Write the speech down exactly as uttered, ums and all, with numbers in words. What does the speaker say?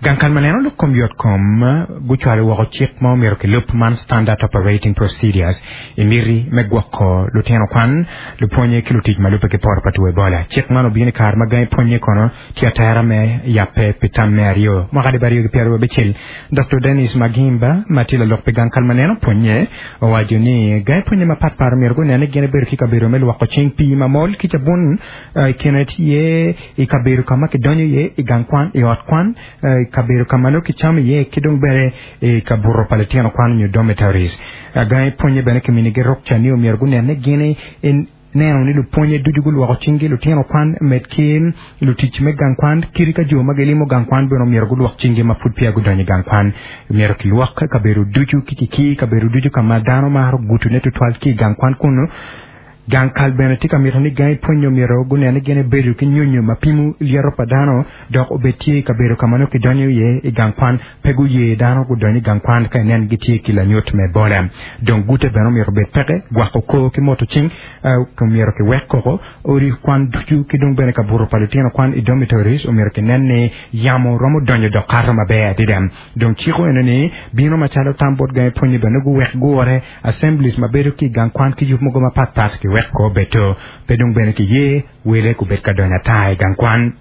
Gang kal ma neno lok kom yotkom gucwalo woko cik ma omyero kilub man standard operating procedures i miti me gwoko lutino kwan lupwonye ki lutic ma lubbe ki poto pa two Ebola. Cik man obino i kare ma gangi pwonye kono tye atera me yabbe pi tam me aryo mwaka alip aryo ki pyeraryo abicel. Dr. Dennis Magimba ma tye lalok pi gang kal ma neno pwonye owaco ni gangi pwonye mapatpat omyero gunen ni gin ebedo ki kabedo me lwoko cing pii mamol ki cabun i kine tye i kabedo ka ma kidonyo iye i gang kwan i ot kwan i kabedo ka ma nongo kicamo iye ki dong bene i kabuto pa litino kwan nyo dormitories. Gangi pwonye bene kiminigi rukca ni omyero gunen ni gin neno ni lupwonye ducu gulwoko cinggi lutino kwan med ki lutic me gang kwan kadi ka jo ma gilimo gang kwan bene omyero gulwok cinggi ma pud peya gudonyo i gang kwan. Myero kilwok kabedo ducu ki kikir kabedo ducu ka ma dano maro gutune tutwal ki i gang kwan kunu. Gang kal bene tye ka mito ni gangi pwonyo myero gunen ni gin ebedo ki nyonyo ma pimo lyeto pa dano dok obed tye i kabedo ka ma nongo kidonyo iye i gang kwan. Pe guye dano gudony i gang kwan ka inen gitye ki lanyut me Ebola. Dong gute bene omyero obed peke, gwako kor ki moto cing omyero kiwek koko odi kwan ducu ki dong bene kabuto pa lutino kwan i dormitories omyero kinen ni yamo romo donyo dok kato maber adada. Dong ciko eno ni bino macalo tam bot gangi pwonyo bene guwek gure assemblies ma bedo ki i gang kwan ki yub mogo mapatpat kiwek ko obedo pe dong bene kiye wele kubed ka donyo ata i gang kwan.